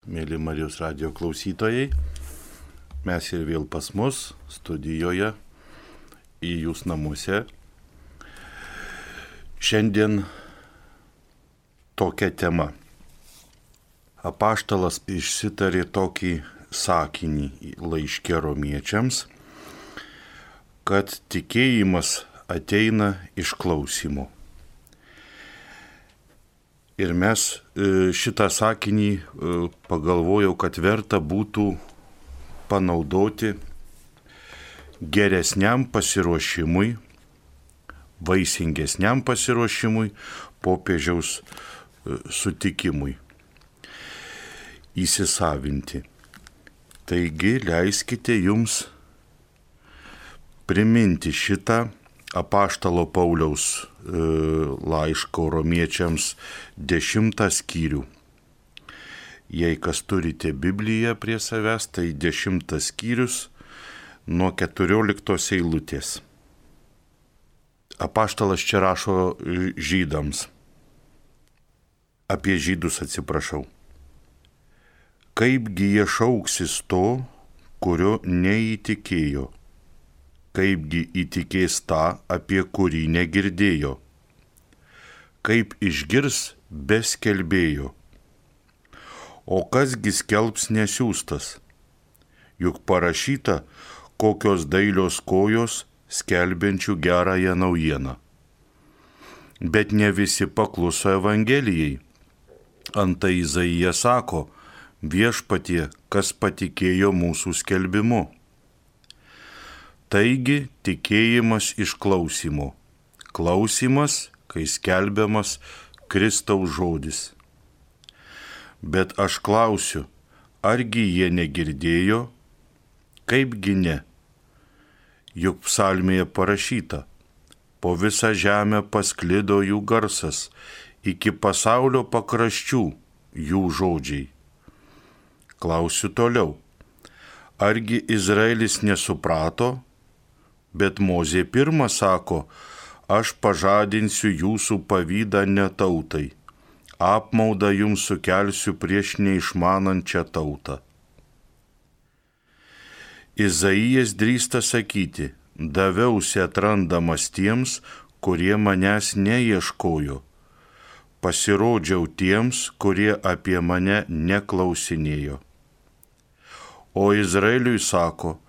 Mėly Marijos radijo klausytojai, mes ir vėl pas mus studijoje į jūs namuose. Šiandien tokia tema. Apaštalas išsitarė tokį sakinį laiške romiečiams, kad tikėjimas ateina iš klausymo. Ir mes šitą sakinį pagalvojau, kad verta būtų panaudoti geresniam pasiruošimui, vaisingesniam pasiruošimui, popiežiaus sutikimui įsisavinti. Taigi leiskite jums priminti šitą apaštalo Pauliaus laiško romiečiams 10 skyrių. Jei kas turite Bibliją prie savęs, tai 10 skyrius nuo 14 eilutės. Apaštalas čia rašo žydams. Apie žydus atsiprašau. Kaipgi jie šauksis to, kurio neįtikėjo? Kaipgi įtikės tą, apie kurį negirdėjo? Kaip išgirs be skelbėjo? O kasgi skelbs nesiųstas? Juk parašyta, kokios dailios kojos skelbiančių gerąją naujieną. Bet ne visi pakluso Evangelijai. Antai Izaija sako, viešpatie, kas patikėjo mūsų skelbimu. Taigi tikėjimas iš klausymo. Klausymas, kai skelbiamas Kristaus žodis. Bet aš klausiu, argi jie negirdėjo? Kaipgi ne? Juk psalmėje parašyta, po visą žemę pasklido jų garsas, iki pasaulio pakraščių jų žodžiai. Klausiu toliau, argi Izraelis nesuprato? Bet Mozė pirma sako, aš pažadinsiu jūsų pavydą ne tautai, apmaudą jums sukelsiu prieš neišmanančią tautą. Izaijas drįsta sakyti, daviausi atrandamas tiems, kurie manęs neieškojo, pasirodžiau tiems, kurie apie mane neklausinėjo. O Izraeliui sako,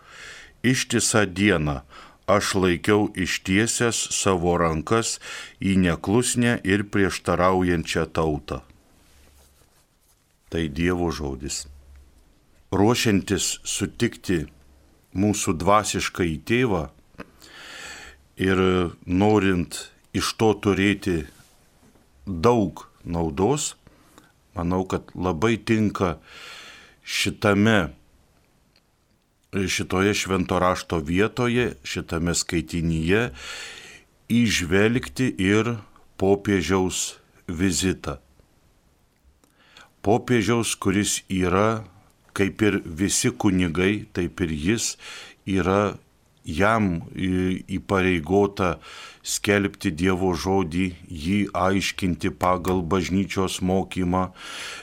ištisą dieną aš laikiau ištiesęs savo rankas į neklusnę ir prieštaraujančią tautą. Tai Dievo žodis. Ruošiantis sutikti mūsų dvasišką į tėvą ir norint iš to turėti daug naudos, manau, kad labai tinka šitoje švento rašto vietoje, šitame skaitinyje įžvelgti ir popiežiaus vizitą. Popiežiaus, kuris yra, kaip ir visi kunigai, taip ir jis yra jam įpareigota skelbti Dievo žodį, jį aiškinti pagal bažnyčios mokymą,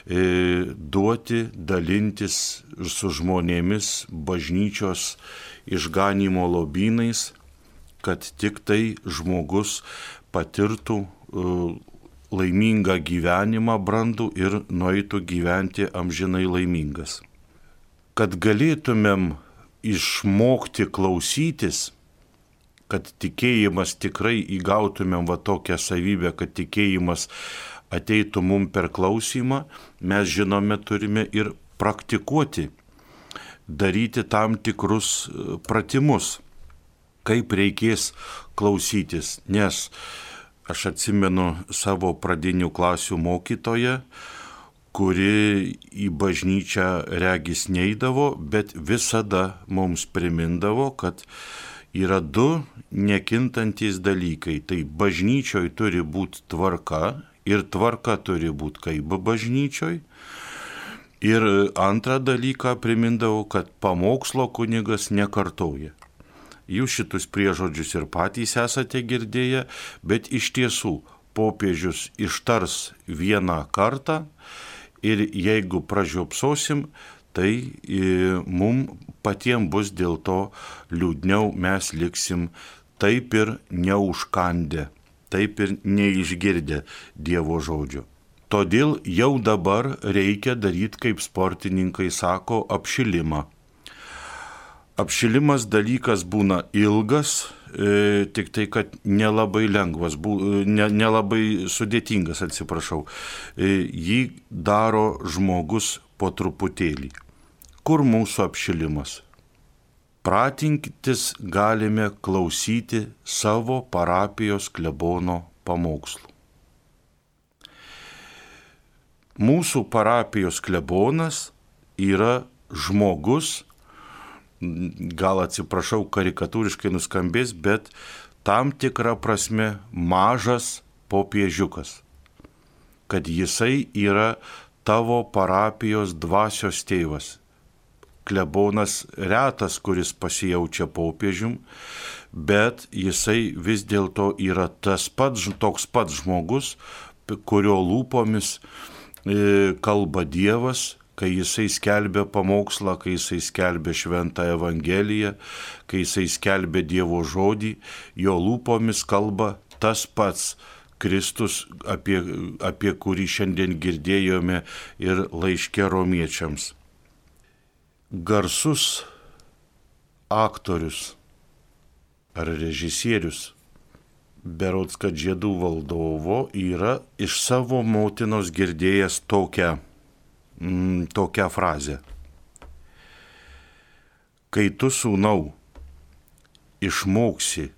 duoti, dalintis su žmonėmis bažnyčios išganymo lobynais, kad tik tai žmogus patirtų laimingą gyvenimą brandų ir nueitų gyventi amžinai laimingas. Kad galėtumėm išmokti klausytis, kad tikėjimas tikrai įgautumėm va tokią savybę, kad tikėjimas ateitų mum per klausymą, mes žinome, turime ir praktikuoti, daryti tam tikrus pratimus, kaip reikės klausytis. Nes aš atsimenu savo pradinių klasių mokytoją, kuri į bažnyčią regis neidavo, bet visada mums primindavo, kad yra du nekintantys dalykai. Tai bažnyčioj turi būti tvarka ir tvarka turi būti kaip bažnyčioj. Ir antrą dalyką primindavo, kad pamokslo kunigas nekartoja. Jūs šitus priežodžius ir patys esate girdėję, bet iš tiesų popiežius ištars vieną kartą ir jeigu pražiopsosim, tai mums patiems bus dėl to liūdniau, mes liksim taip ir neužkandę, taip ir neišgirdę Dievo žodžio. Todėl jau dabar reikia daryti, kaip sportininkai sako, apšilimą. Apšilimas dalykas būna ilgas, tik tai, kad nelabai lengvas, nelabai sudėtingas, atsiprašau. Jį daro žmogus po truputėlį. Kur mūsų apšilimas? Pratintis galime klausyti savo parapijos klebono pamokslų. Mūsų parapijos klebonas yra žmogus, gal atsiprašau, karikatūriškai nuskambės, bet tam tikra prasme mažas popiežiukas, kad jisai yra tavo parapijos dvasios tėvas. Klebonas retas, kuris pasijaučia popiežium, bet jisai vis dėlto yra toks pats žmogus, kurio lūpomis kalba Dievas, kai jisai skelbia pamokslą, kai jisai skelbia šventą Evangeliją, kai jisai skelbia Dievo žodį, jo lūpomis kalba tas pats Kristus, apie kurį šiandien girdėjome ir laiške romiečiams. Garsus aktorius ar režisierius, berods kad Žiedų valdovo, yra iš savo motinos girdėjęs tokią frazę. Kai tu, sūnau, išmoksi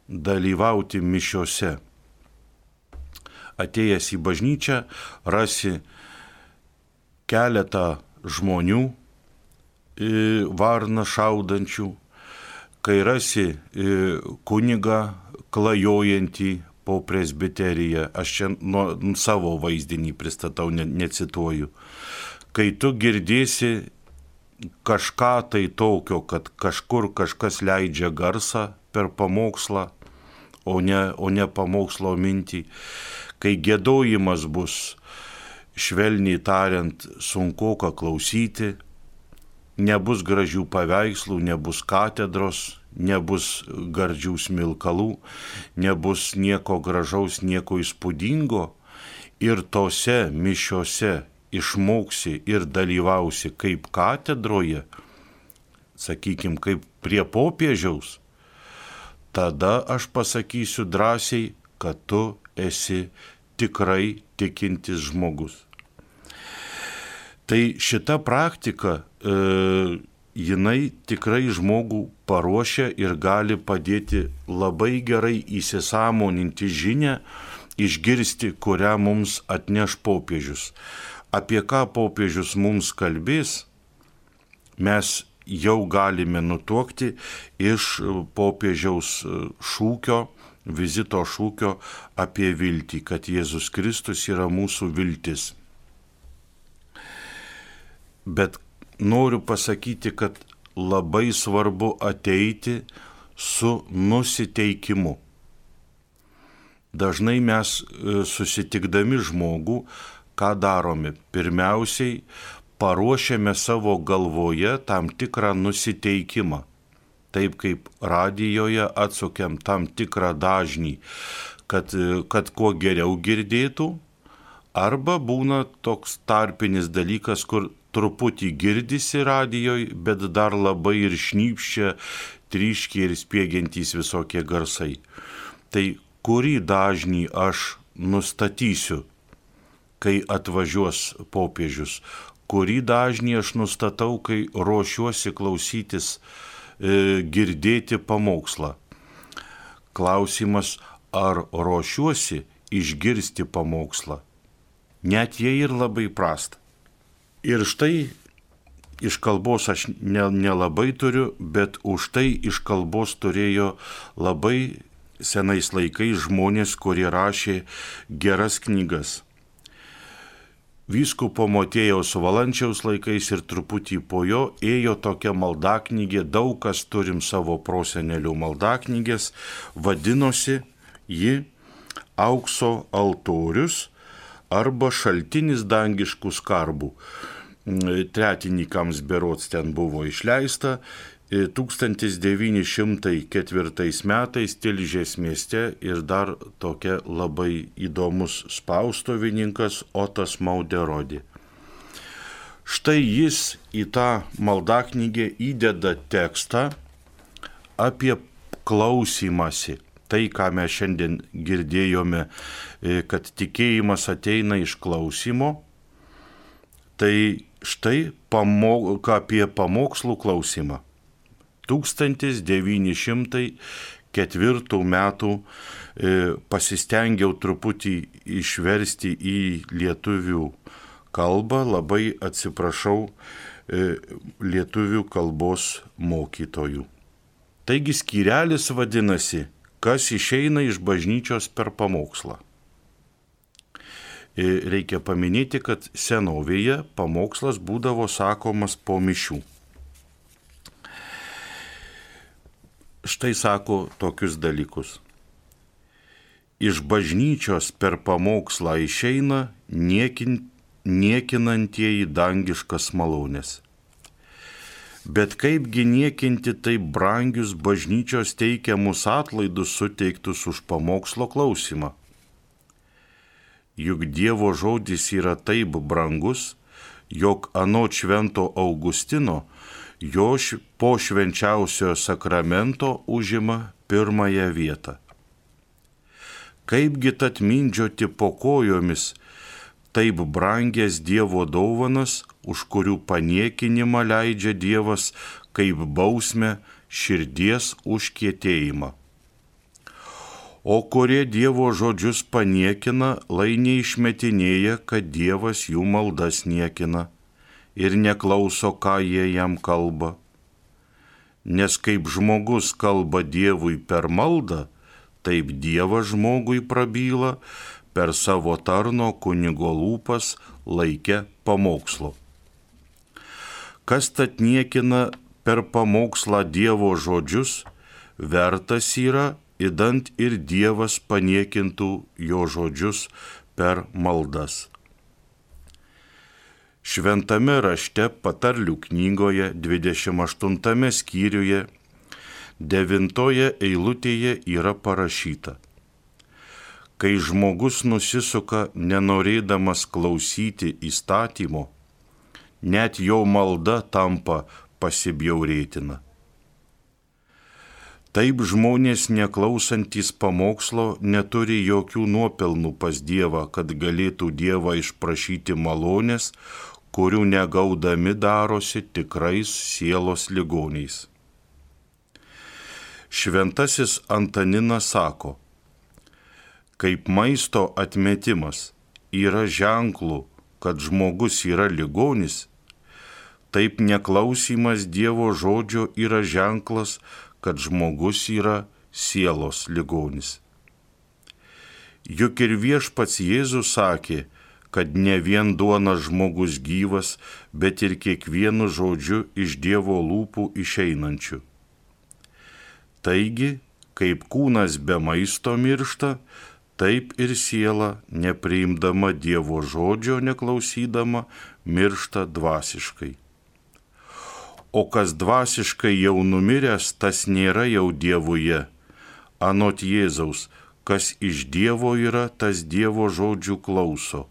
dalyvauti mišiose, atėjęs į bažnyčią, rasi keletą žmonių, varną šaudančių, kai rasi kunigą klajojantį po presbiteriją, aš čia savo vaizdinį pristatau, necituoju, kai tu girdėsi kažką tai tokio, kad kažkur kažkas leidžia garsą per pamokslą, o ne pamokslo mintį, kai giedojimas bus, švelniai tariant, sunkoka klausyti, nebus gražių paveikslų, nebus katedros, nebus gardžių smilkalų, nebus nieko gražaus, nieko įspūdingo, ir tose mišiose išmoksi ir dalyvausi kaip katedroje, sakykime, kaip prie popiežiaus, tada aš pasakysiu drąsiai, kad tu esi tikrai tikintis žmogus. Tai šita praktika, jinai tikrai žmogų paruošia ir gali padėti labai gerai įsisąmoninti žinią, išgirsti, kurią mums atneš popiežius. Apie ką popiežius mums kalbės, mes jau galime nutuokti iš popiežiaus šūkio, vizito šūkio apie viltį, kad Jėzus Kristus yra mūsų viltis. Bet noriu pasakyti, kad labai svarbu ateiti su nusiteikimu. Dažnai mes susitikdami žmogų, ką darome? Pirmiausiai paruošiame savo galvoje tam tikrą nusiteikimą. Taip kaip radijoje atsukiam tam tikrą dažnį, kad kuo geriau girdėtų, arba būna toks tarpinis dalykas, kur truputį girdisi radijoj, bet dar labai ir šnypščia, tryškia ir spiegiantys visokie garsai. Tai kurį dažnį aš nustatysiu, kai atvažiuos popiežius? Kurį dažnį aš nustatau, kai ruošiuosi klausytis, girdėti pamokslą? Klausimas, ar ruošiuosi išgirsti pamokslą? Net jei ir labai prasta. Ir štai iš kalbos aš nelabai turiu, bet už tai iš kalbos turėjo labai senais laikais žmonės, kurie rašė geras knygas. Vyskupo Motiejaus Valančiaus laikais ir truputį po jo ėjo tokia maldaknygė, daug kas turim savo prosenelių maldaknygės, vadinosi ji Aukso altorius arba šaltinis dangiškų skarbų. Tretinikams berods ten buvo išleista. 1904 metais Tilžės mieste ir dar tokia labai įdomus spaustuvininkas Otas Mauderodė. Štai jis į tą maldaknygę įdeda tekstą apie klausymąsi. Tai, ką mes šiandien girdėjome, kad tikėjimas ateina iš klausymo, tai štai apie pamokslų klausimą. 1904 metų pasistengiau truputį išversti į lietuvių kalbą, labai atsiprašau lietuvių kalbos mokytojų. Taigi skyrelis vadinasi, kas išeina iš bažnyčios per pamokslą. Reikia paminėti, kad senovėje pamokslas būdavo sakomas po mišių. Štai sako tokius dalykus. Iš bažnyčios per pamokslą išeina niekinantieji dangiškas malonės. Bet kaipgi niekinti taip brangius bažnyčios teikiamus atlaidus suteiktus už pamokslo klausimą? Juk Dievo žodis yra taip brangus, jog anot švento Augustino jo po švenčiausiojo sakramento užima pirmąją vietą. Kaipgi tad mindžioti po kojomis taip brangias Dievo dovanas, už kurių paniekinimą leidžia Dievas kaip bausmę širdies užkietėjimą. O kurie Dievo žodžius paniekina, lai neišmetinėja, kad Dievas jų maldas niekina ir neklauso, ką jie jam kalba. Nes kaip žmogus kalba Dievui per maldą, taip Dievas žmogui prabyla per savo tarno kunigo lūpas laike pamokslo. Kas tad niekina per pamokslą Dievo žodžius, vertas yra, idant ir Dievas paniekintų jo žodžius per maldas. Šventame rašte Patarlių knygoje 28 skyriuje 9 eilutėje yra parašyta: kai žmogus nusisuka nenorėdamas klausyti įstatymo, net jo malda tampa pasibjaurėtina. Taip žmonės neklausantys pamokslo neturi jokių nuopelnų pas Dievą, kad galėtų Dievą išprašyti malonės, kurių negaudami darosi tikrais sielos ligoniais. Šventasis Antaninas sako, kaip maisto atmetimas yra ženklų, kad žmogus yra ligonis, taip neklausymas Dievo žodžio yra ženklas, kad žmogus yra sielos ligonis. Juk ir viešpats Jėzus sakė, kad ne vien duona žmogus gyvas, bet ir kiekvienu žodžiu iš Dievo lūpų išeinančiu. Taigi, kaip kūnas be maisto miršta, taip ir siela, nepriimdama Dievo žodžio, neklausydama, miršta dvasiškai. O kas dvasiškai jau numiręs, tas nėra jau Dievuje. Anot Jėzaus, kas iš Dievo yra, tas Dievo žodžių klauso.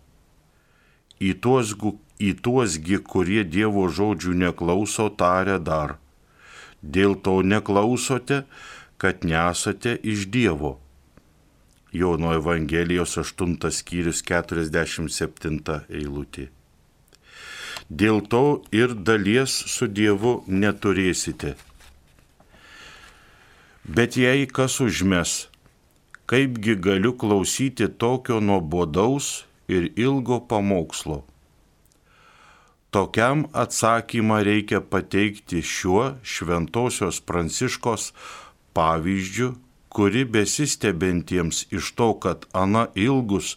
Į tuosgi, kurie Dievo žodžių neklauso, taria dar. Dėl to neklausote, kad nesate iš Dievo. Jono Evangelijos 8 skyrius 47 eilutė. Dėl to ir dalies su Dievu neturėsite. Bet jei kas užmes, kaipgi galiu klausyti tokio nuobodaus ir ilgo pamokslo? Tokiam atsakymą reikia pateikti šiuo Šventosios Pranciškos pavyzdžiu, kuri besistebintiems iš to, kad ana ilgus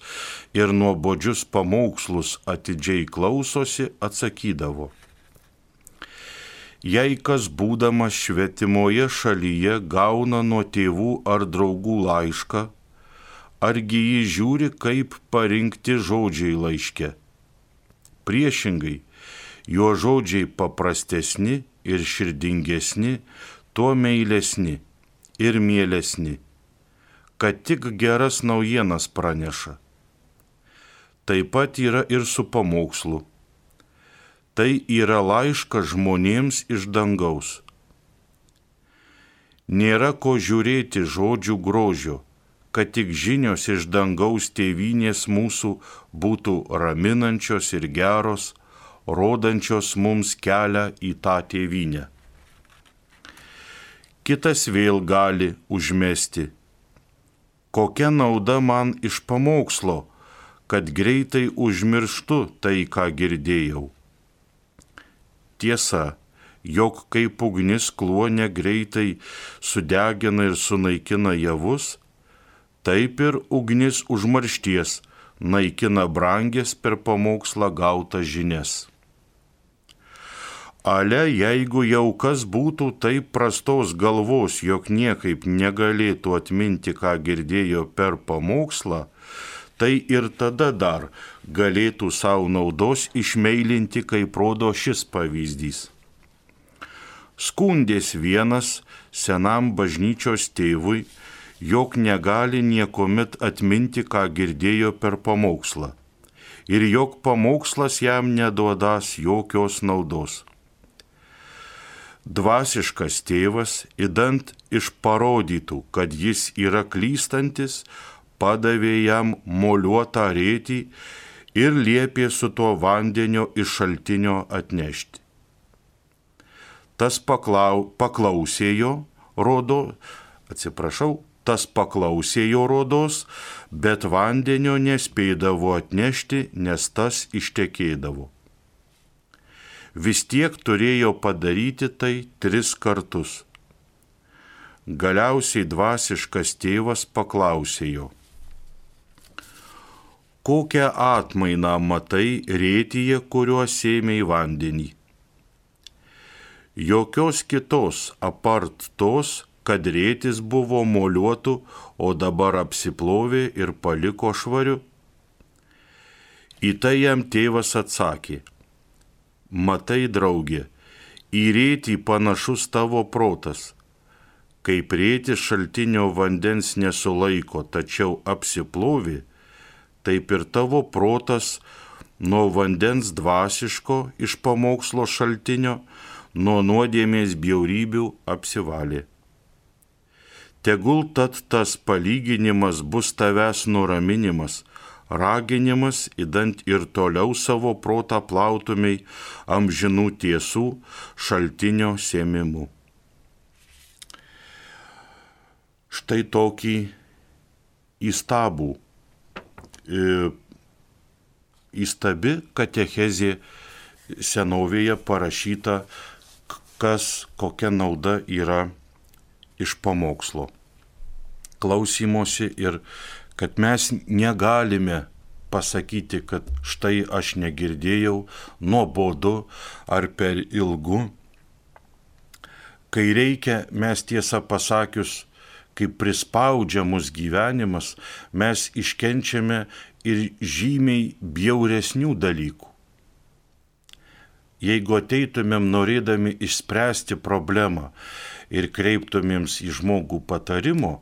ir nuobodžius pamokslus atidžiai klausosi, atsakydavo: jei kas būdamas svetimoje šalyje gauna nuo tėvų ar draugų laišką, argi jį žiūri, kaip parinkti žodžiai laiške. Priešingai, jo žodžiai paprastesni ir širdingesni, tuo meilesni ir mielesni, kad tik geras naujienas praneša. Taip pat yra ir su pamokslu. Tai yra laiškas žmonėms iš dangaus. Nėra ko žiūrėti žodžių grožio, kad tik žinios iš dangaus tėvynės mūsų būtų raminančios ir geros, rodančios mums kelią į tą tėvynę. Kitas vėl gali užmesti. Kokia nauda man iš pamokslo, kad greitai užmirštu tai, ką girdėjau. Tiesa, jog kaip ugnis kluone greitai sudegina ir sunaikina javus, taip ir ugnis užmaršties naikina brangias per pamokslą gautas žinias. Ale, jeigu jau kas būtų taip prastos galvos, jog niekaip negalėtų atminti, ką girdėjo per pamokslą, tai ir tada dar galėtų savo naudos išmeilinti, kaip rodo šis pavyzdys. Skundės vienas senam bažnyčios tėvui, jog negali niekomet atminti, ką girdėjo per pamokslą, ir jog pamokslas jam neduodas jokios naudos. Dvasiškas tėvas, idant išparodytų, kad jis yra klystantis, padavė jam moliuotą rėtį ir liepė su tuo vandenio iš šaltinio atnešti. Tas paklausė jo rodos, bet vandenio nespėdavo atnešti, nes tas ištekėdavo. Vis tiek turėjo padaryti tai 3 kartus. Galiausiai dvasiškas tėvas paklausė jo: kokią atmainą matai rėtyje, kuriuo sėmei vandenį? Jokios kitos apart tos, kad rėtis buvo moliuotų, o dabar apsiplovė ir paliko švariu. Į tai jam tėvas atsakė: matai, draugė, į rėtį panašus tavo protas. Kaip rėtis šaltinio vandens nesulaiko, tačiau apsiplovė, taip ir tavo protas nuo vandens dvasiško iš pamokslo šaltinio, nuo nuodėmės bjaurybių apsivalė. Tegul tad tas palyginimas bus tavęs nuraminimas, raginimas, idant ir toliau savo protą plautumei amžinų tiesų šaltinio sėmimu. Štai tokį įstabi katechezė senovėje parašyta, kokia nauda yra iš pamokslo klausymosi, ir kad mes negalime pasakyti, kad štai aš negirdėjau, nuobodu ar per ilgu. Kai reikia, mes tiesą pasakius, kaip prispaudžia mus gyvenimas, mes iškenčiame ir žymiai bjauresnių dalykų. Jeigu ateitumėm norėdami išspręsti problemą ir kreiptumėms į žmogų patarimo,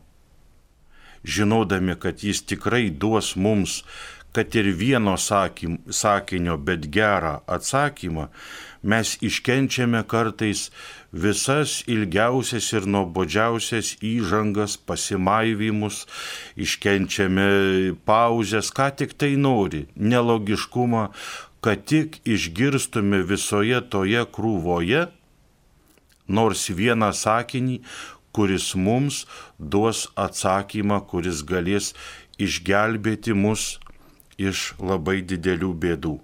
žinodami, kad jis tikrai duos mums, kad ir vieno sakinio, bet gerą atsakymą, mes iškenčiame kartais visas ilgiausias ir nuobodžiausias įžangas, pasimaivymus, iškenčiame pauzes, ką tik tai nori, nelogiškumą, kad tik išgirstume visoje toje krūvoje nors vieną sakinį, kuris mums duos atsakymą, kuris galės išgelbėti mus iš labai didelių bėdų.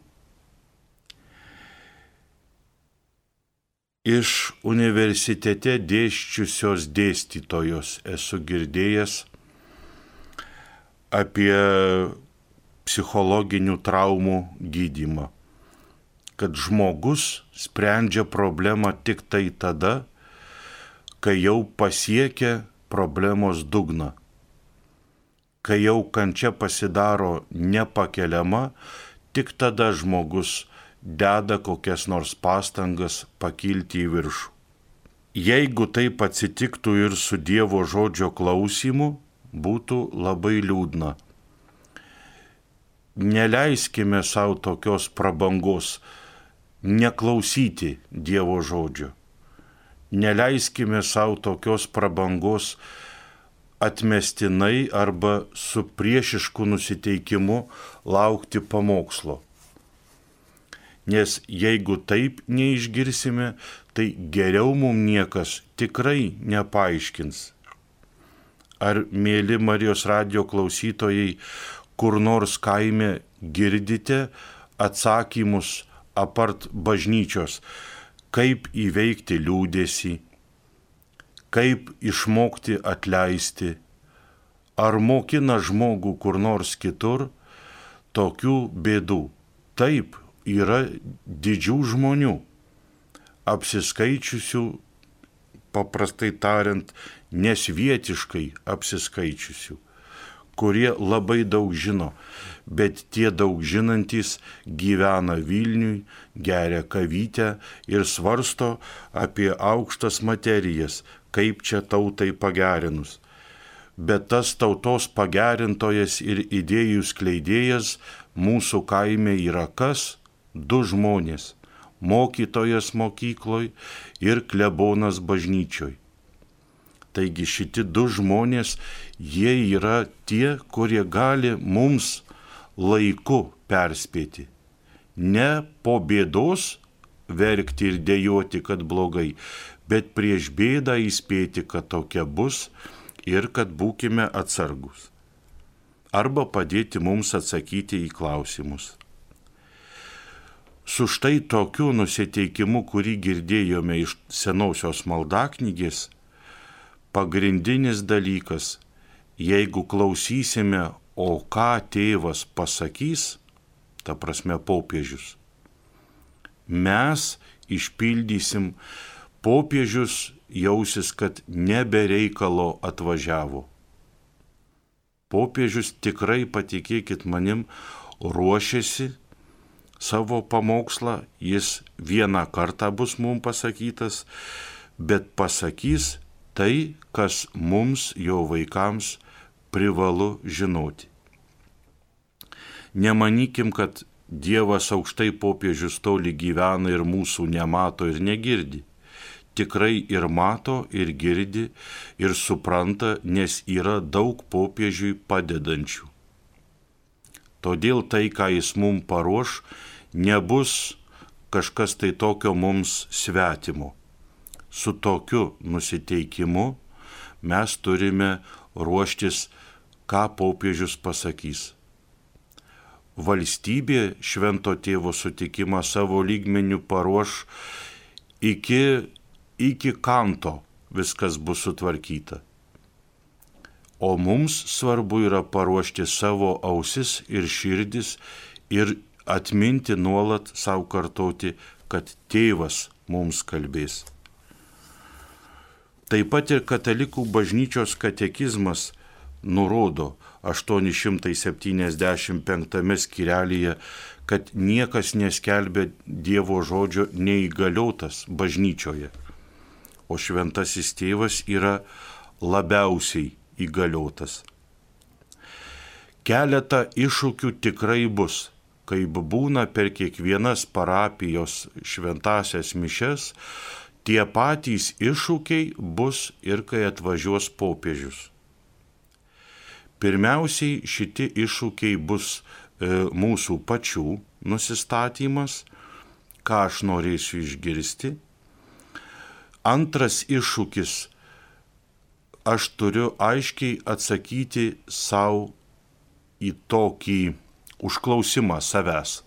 Iš universitete dėsčiusios dėstytojos esu girdėjęs apie psichologinių traumų gydymą, kad žmogus sprendžia problemą tik tai tada, kai jau pasiekia problemos dugną. kai jau kančia pasidaro nepakeliama, tik tada žmogus deda kokias nors pastangas pakilti į viršų. Jeigu taip atsitiktų ir su Dievo žodžio klausymu, būtų labai liūdna. Neleiskime savo tokios prabangos neklausyti Dievo žodžio. Neleiskime savo tokios prabangos atmestinai arba su priešišku nusiteikimu laukti pamokslo. Nes jeigu taip neišgirsime, tai geriau mums niekas tikrai nepaaiškins. Ar, mėly Marijos radijo klausytojai, kur nors kaime girdite atsakymus apart bažnyčios, kaip įveikti liūdesį, kaip išmokti atleisti, ar mokina žmogų kur nors kitur tokių bėdų? Taip, yra didžių žmonių, apsiskaičiusių, paprastai tariant, nesvietiškai apsiskaičiusių, kurie labai daug žino, bet tie daug žinantys gyvena Vilniuj, geria kavytę ir svarsto apie aukštas materijas, kaip čia tautai pagerinus. Bet tas tautos pagerintojas ir idėjų skleidėjas mūsų kaime yra kas? 2 žmonės – mokytojas mokykloj ir klebonas bažnyčioj. Taigi šitie 2 žmonės, jie yra tie, kurie gali mums laiku perspėti. Ne po bėdos verkti ir dejoti, kad blogai, bet prieš bėdą įspėti, kad tokia bus ir kad būkime atsargus. Arba padėti mums atsakyti į klausimus. Su štai tokiu nusiteikimu, kurį girdėjome iš senosios maldaknygės, pagrindinis dalykas, jeigu klausysime, o ką tėvas pasakys, ta prasme popiežius, mes išpildysim, popiežius jausis, kad nebe reikalo atvažiavo. Popiežius tikrai, patikėkit manim, ruošiasi savo pamokslą, jis vieną kartą bus mums pasakytas, bet pasakys tai, kas mums, jo vaikams, privalu žinoti. Nemanykim, kad Dievas aukštai, popiežius toli gyvena ir mūsų nemato ir negirdi. Tikrai ir mato, ir girdi, ir supranta, nes yra daug popiežiui padedančių. Todėl tai, ką jis mums paruoš, nebus kažkas tai tokio mums svetimo. Su tokiu nusiteikimu mes turime ruoštis, ką popiežius pasakys. Valstybė švento tėvo sutikimą savo lygmeniu paruoš iki kanto, viskas bus sutvarkyta. O mums svarbu yra paruošti savo ausis ir širdis ir atminti nuolat savo kartoti, kad tėvas mums kalbės. Taip pat ir katalikų bažnyčios katekizmas nurodo 875 skyrelyje, kad niekas neskelbia Dievo žodžio neįgaliotas bažnyčioje, o šventasis tėvas yra labiausiai įgaliotas. Keletą iššūkių tikrai bus, kaip būna per kiekvienas parapijos šventasias mišes, tie patys iššūkiai bus ir kai atvažiuos popiežius. Pirmiausiai šitie iššūkiai bus mūsų pačių nusistatymas, ką aš norėsiu išgirsti. Antras iššūkis, aš turiu aiškiai atsakyti savo į tokį užklausimą savęs.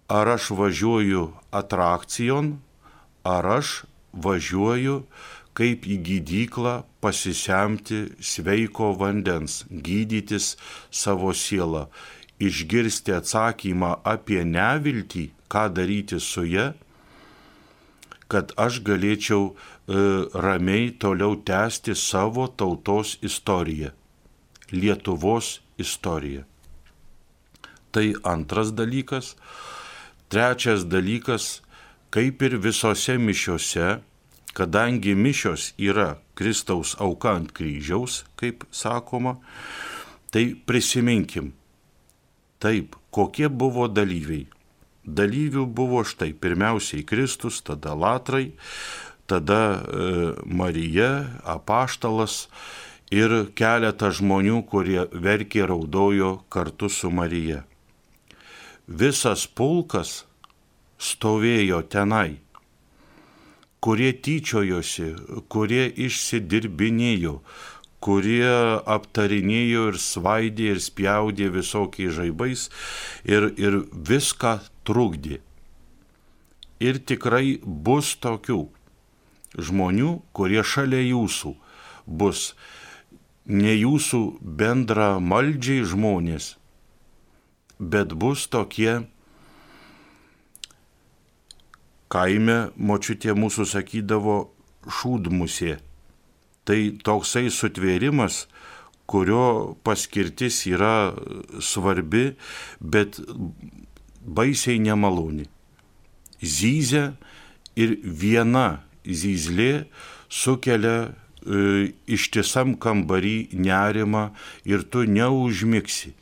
Ar aš važiuoju atrakcijon, ar aš važiuoju kaip į gydyklą pasisemti sveiko vandens, gydytis savo sielą, išgirsti atsakymą apie neviltį, ką daryti su ja, kad aš galėčiau ramiai toliau tęsti savo tautos istoriją. Lietuvos istorija. Tai antras dalykas. Trečias dalykas, kaip ir visose mišiose, kadangi mišios yra Kristaus auka ant kryžiaus, kaip sakoma, tai prisiminkim. Taip, kokie buvo dalyviai. Dalyvių buvo štai pirmiausiai Kristus, tada latrai, tada Marija, apaštalas ir keletas žmonių, kurie verkė, raudojo kartu su Marija. Visas pulkas stovėjo tenai, kurie tyčiojosi, kurie išsidirbinėjo, kurie aptarinėjo ir svaidė ir spjaudė visokiais žaibais ir viską trukdė. Ir tikrai bus tokių žmonių, kurie šalia jūsų bus ne jūsų bendramaldžiai žmonės, bet bus tokie, kaime močiutė mūsų sakydavo, šūdmusė. Tai toksai sutvėrimas, kurio paskirtis yra svarbi, bet baisiai nemaloni. Zyzia ir viena zyzlė sukelia ištisam kambarį nerimą ir tu neužmigsi.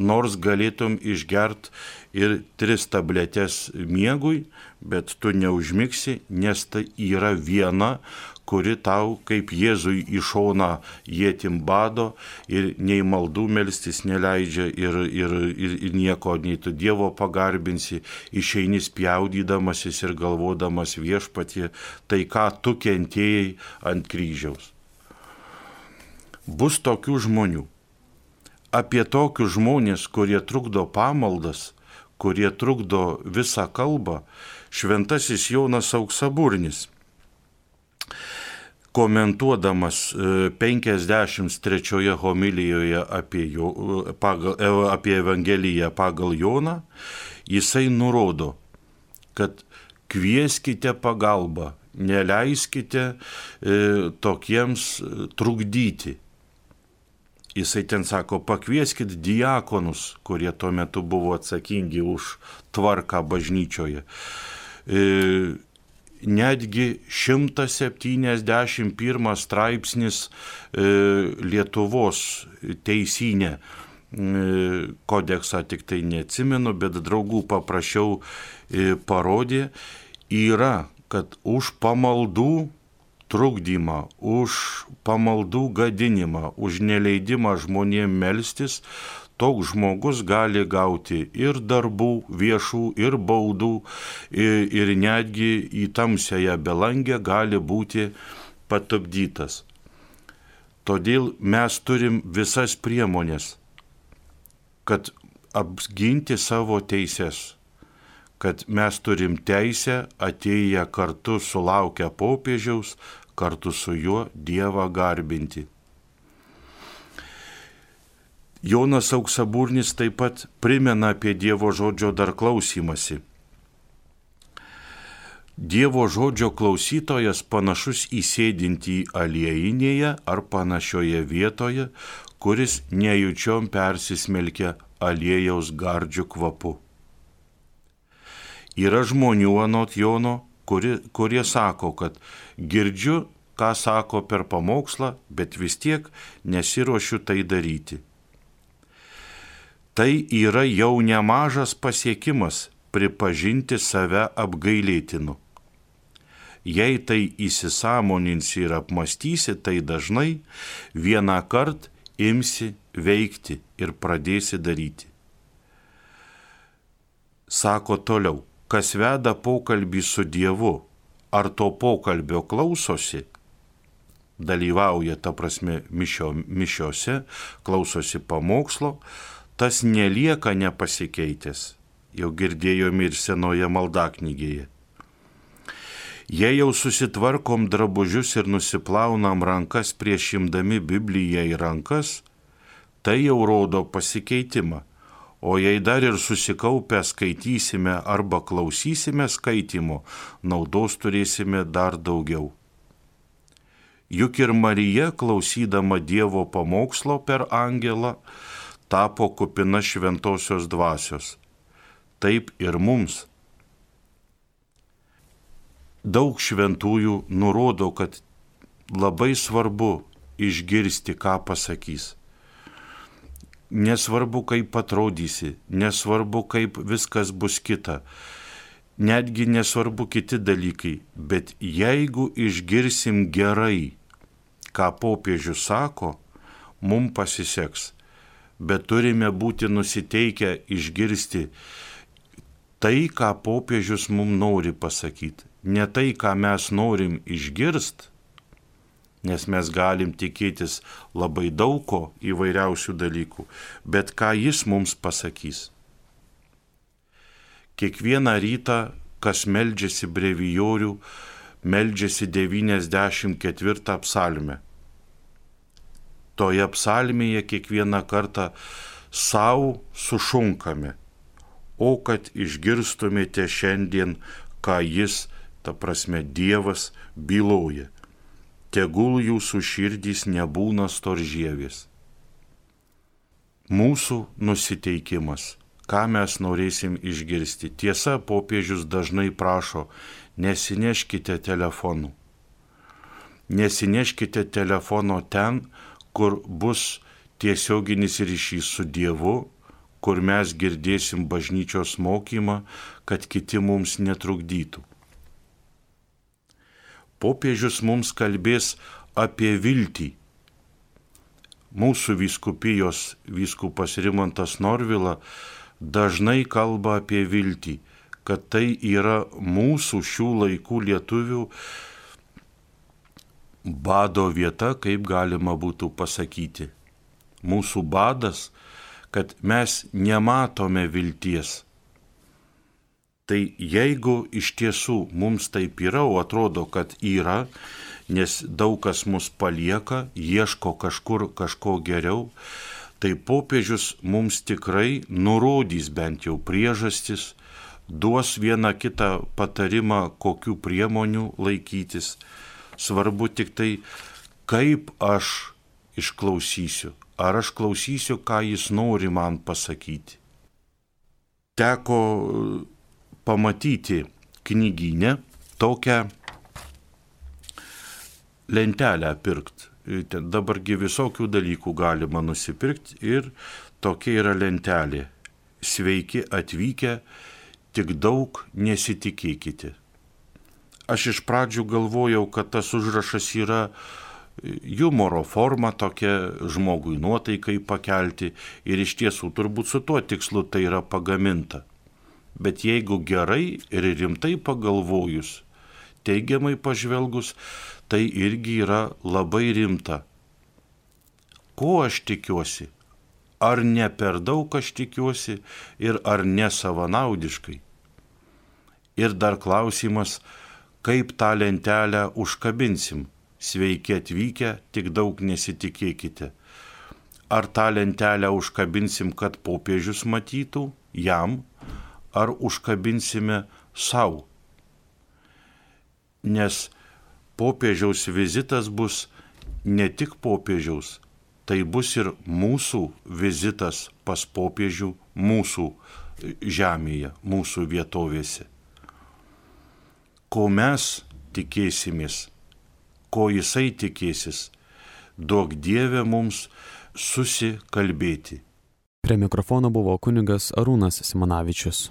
Nors galėtum išgert ir 3 tabletes miegui, bet tu neužmigsi, nes tai yra viena, kuri tau kaip Jėzui į šoną ietim bado ir nei maldų melstis neleidžia ir nieko, nei tu Dievo pagarbinsi, išeini spjaudydamasis ir galvodamas Viešpatie, tai ką tu kentėjai ant kryžiaus. Bus tokių žmonių. Apie tokius žmonės, kurie trukdo pamaldas, kurie trukdo visą kalbą, šventasis Jonas Auksaburnis, komentuodamas 53 homilijoje apie Evangeliją pagal Joną, jisai nurodo, kad kvieskite pagalbą, neleiskite tokiems trukdyti. Jisai ten sako, pakvieskit diakonus, kurie tuo metu buvo atsakingi už tvarką bažnyčioje. Netgi 171 straipsnis Lietuvos teisyne kodeksą tik tai neatsimenu, bet draugų paprašiau parodė, yra, kad už pamaldų trukdymą, už pamaldų gadinimą, už neleidimą žmonėms melstis, toks žmogus gali gauti ir darbų viešų, ir baudų, ir netgi į tamsiąją belangę gali būti patupdytas. Todėl mes turim visas priemonės, kad apginti savo teises, kad mes turim teisę atėję kartu sulaukę popiežiaus, kartu su juo Dievą garbinti. Jonas Auksaburnis taip pat primena apie Dievo žodžio dar klausymasi. Dievo žodžio klausytojas panašus į sėdintį aliejinėje ar panašioje vietoje, kuris nejučiom persismelkia aliejaus gardžių kvapu. Yra žmonių anot Jono, kurie sako, kad girdžiu, ką sako per pamokslą, bet vis tiek nesiruošiu tai daryti. Tai yra jau nemažas pasiekimas pripažinti save apgailėtinu. Jei tai įsisąmoninsi ir apmąstysi, tai dažnai vieną kartą imsi veikti ir pradėsi daryti. Sako toliau, kas veda pokalbį su Dievu, ar to pokalbio klausosi, dalyvauja, ta prasme, mišiose, klausosi pamokslo, tas nelieka nepasikeitęs, jau girdėjome ir senoje maldaknygėje. Jei jau susitvarkom drabužius ir nusiplaunam rankas prieš imdami Bibliją į rankas, tai jau rodo pasikeitimą. O jei dar ir susikaupę skaitysime arba klausysime skaitimo, naudos turėsime dar daugiau. Juk ir Marija, klausydama Dievo pamokslo per angelą, tapo kupina šventosios dvasios. Taip ir mums. Daug šventųjų nurodo, kad labai svarbu išgirsti, ką pasakys. Nesvarbu, kaip atrodysi, nesvarbu, kaip viskas bus kita, netgi nesvarbu kiti dalykai, bet jeigu išgirsim gerai, ką popiežius sako, mums pasiseks, bet turime būti nusiteikę išgirsti tai, ką popiežius mums nori pasakyti, ne tai, ką mes norim išgirsti, nes mes galim tikėtis labai daug ko įvairiausių dalykų, bet ką jis mums pasakys. Kiekvieną rytą, kas meldžiasi brevijorių, meldžiasi 94 psalmę. Toje psalmėje kiekvieną kartą savo sušunkame, o kad išgirstumėte šiandien, ką jis, ta prasme Dievas, byloja. Tegul jūsų širdys nebūna storžievės. Mūsų nusiteikimas, ką mes norėsim išgirsti. Tiesa, popiežius dažnai prašo, nesineškite telefonų. Nesineškite telefono ten, kur bus tiesioginis ryšys su Dievu, kur mes girdėsim bažnyčios mokymą, kad kiti mums netrukdytų. Popiežius mums kalbės apie viltį. Mūsų vyskupijos vyskupas Rimantas Norvila dažnai kalba apie viltį, kad tai yra mūsų šių laikų lietuvių bado vieta, kaip galima būtų pasakyti. Mūsų badas, kad mes nematome vilties. Tai jeigu iš tiesų mums taip yra, o atrodo, kad yra, nes daug kas mus palieka, ieško kažkur kažko geriau, tai popiežius mums tikrai nurodys bent jau priežastis, duos vieną kitą patarimą, kokių priemonių laikytis. Svarbu tik tai, kaip aš išklausysiu, ar aš klausysiu, ką jis nori man pasakyti. Teko pamatyti knygyne tokią lentelę pirkti. Dabargi visokių dalykų galima nusipirkti ir tokia yra lentelė. Sveiki atvykę, tik daug nesitikėkite. Aš iš pradžių galvojau, kad tas užrašas yra humoro forma, tokia žmogui nuotaikai pakelti ir iš tiesų turbūt su tuo tikslu tai yra pagaminta. Bet jeigu gerai ir rimtai pagalvojus, teigiamai pažvelgus, tai irgi yra labai rimta. Ko aš tikiuosi? Ar ne per daug aš tikiuosi ir ar ne savanaudiškai? Ir dar klausimas, kaip tą lentelę užkabinsim? Sveiki atvykę, tik daug nesitikėkite. Ar tą lentelę užkabinsim, kad popiežius matytų jam, ar užkabinsime savo? Nes popiežiaus vizitas bus ne tik popiežiaus, tai bus ir mūsų vizitas pas popiežių mūsų žemėje, mūsų vietovėse. Ko mes tikėsimės, ko jisai tikėsis, duok Dieve mums susikalbėti. Prie mikrofono buvo kunigas Arūnas Simonavičius.